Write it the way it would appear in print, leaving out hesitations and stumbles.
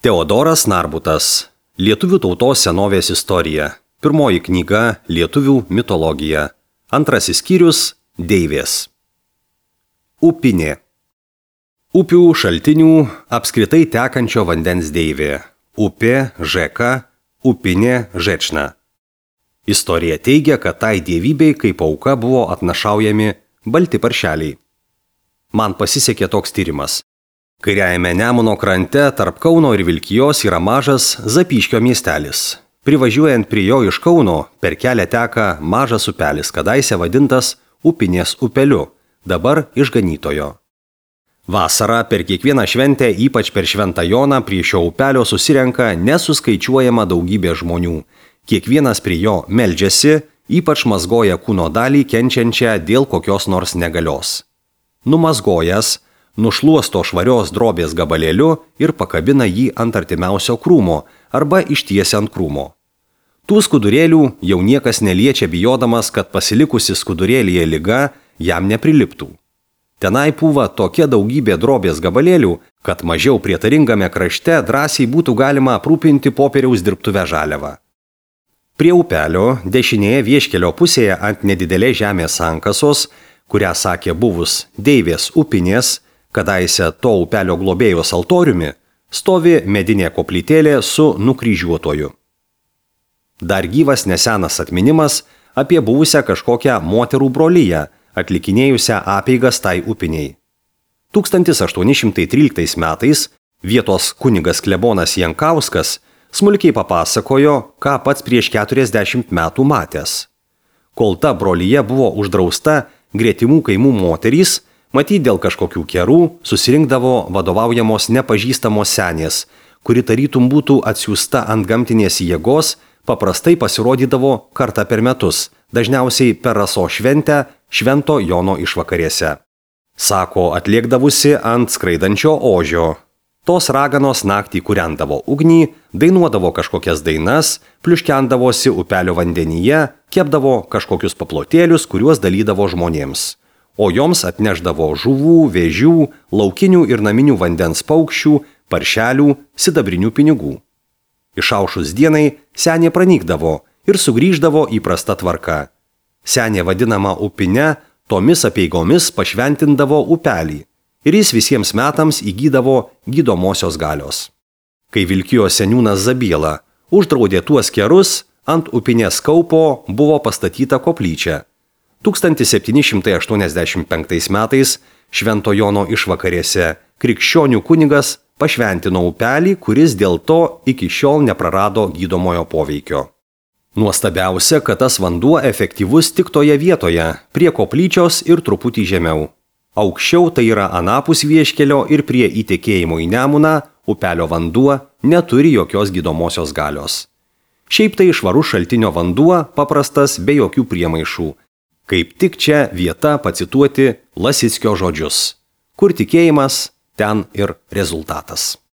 Teodoras Narbutas. Lietuvių tautos senovės istorija. Pirmoji knyga Lietuvių mitologija. Antrasis skyrius Deivės. Upinė. Upių šaltinių apskritai tekančio vandens deivė. Upė, žeka, upinė, žečna. Istorija teigia, kad tai dievybei kaip auka buvo atnašaujami balti paršeliai. Man pasisekė toks tyrimas. Kairiajame Nemuno krante tarp Kauno ir Vilkijos yra mažas Zapyškio miestelis. Privažiuojant prie jo iš Kauno, per kelią teka mažas upelis, kadaise vadintas Upinės upeliu, dabar Išganytojo. Vasarą per kiekvieną šventę, ypač per Šventą Joną, prie šio upelio susirenka nesuskaičiuojama daugybė žmonių. Kiekvienas prie jo meldžiasi, ypač mazgoja kūno dalį kenčiančią dėl kokios nors negalios. Numazgojęs, nušluosto švarios drobės gabalėliu ir pakabina jį ant artimiausio krūmo arba ištiesia ant krūmo. Tų skudurėlių jau niekas neliečia, bijodamas, kad pasilikusi skudurėlyje liga jam nepriliptų. Tenai pūva tokia daugybė drobės gabalėlių, kad mažiau prietaringame krašte drąsiai būtų galima aprūpinti popieriaus dirbtuvę žaliavą. Prie upelio, dešinėje vieškelio pusėje ant nedidelės žemės sankasos, kurią sakė buvus Deivės upinės, kadaise to upelio globėjos altoriumi, stovi medinė koplytėlė su nukryžiuotoju. Dar gyvas nesenas atminimas apie buvusią kažkokią moterų broliją, atlikinėjusią apeigas tai upiniai. 1813 metais vietos kunigas klebonas Jankauskas smulkiai papasakojo, ką pats prieš 40 metų matęs. Kol ta brolyje buvo uždrausta, gretimų kaimų moterys, matyt dėl kažkokių kerų, susirinkdavo vadovaujamos nepažįstamos senės, kuri tarytum būtų atsiųsta ant gamtinės jėgos, paprastai pasirodydavo kartą per metus, dažniausiai per Rasos šventę Švento Jono išvakarėse. Sako, atliekdavusi ant skraidančio ožio. Tos raganos naktį kūrendavo ugnį, dainuodavo kažkokias dainas, pliuškendavosi upelio vandenyje, kepdavo kažkokius paplotėlius, kuriuos dalydavo žmonėms. O joms atneždavo žuvų, vėžių, laukinių ir naminių vandens paukščių, paršelių, sidabrinių pinigų. Išaušus dienai senė pranykdavo ir sugrįždavo įprasta tvarka. Senė vadinama upine, tomis apeigomis pašventindavo upelį ir jis visiems metams įgydavo gydomosios galios. Kai Vilkijos seniūnas Zabiela uždraudė tuos kerus, ant upinės kaupo buvo pastatyta koplyčia. 1785 metais Švento Jono išvakarėse krikščionių kunigas pašventino upelį, kuris dėl to iki šiol neprarado gydomojo poveikio. Nuostabiausia, kad tas vanduo efektyvus tik toje vietoje, prie koplyčios ir truputį žemiau. Aukščiau, tai yra anapus vieškelio ir prie įtekėjimo į Nemuną, upelio vanduo neturi jokios gydomosios galios. Šiaip tai švarus šaltinio vanduo, paprastas be jokių priemaišų. Kaip tik čia vieta pacituoti Lasickio žodžius. Kur tikėjimas, ten ir rezultatas.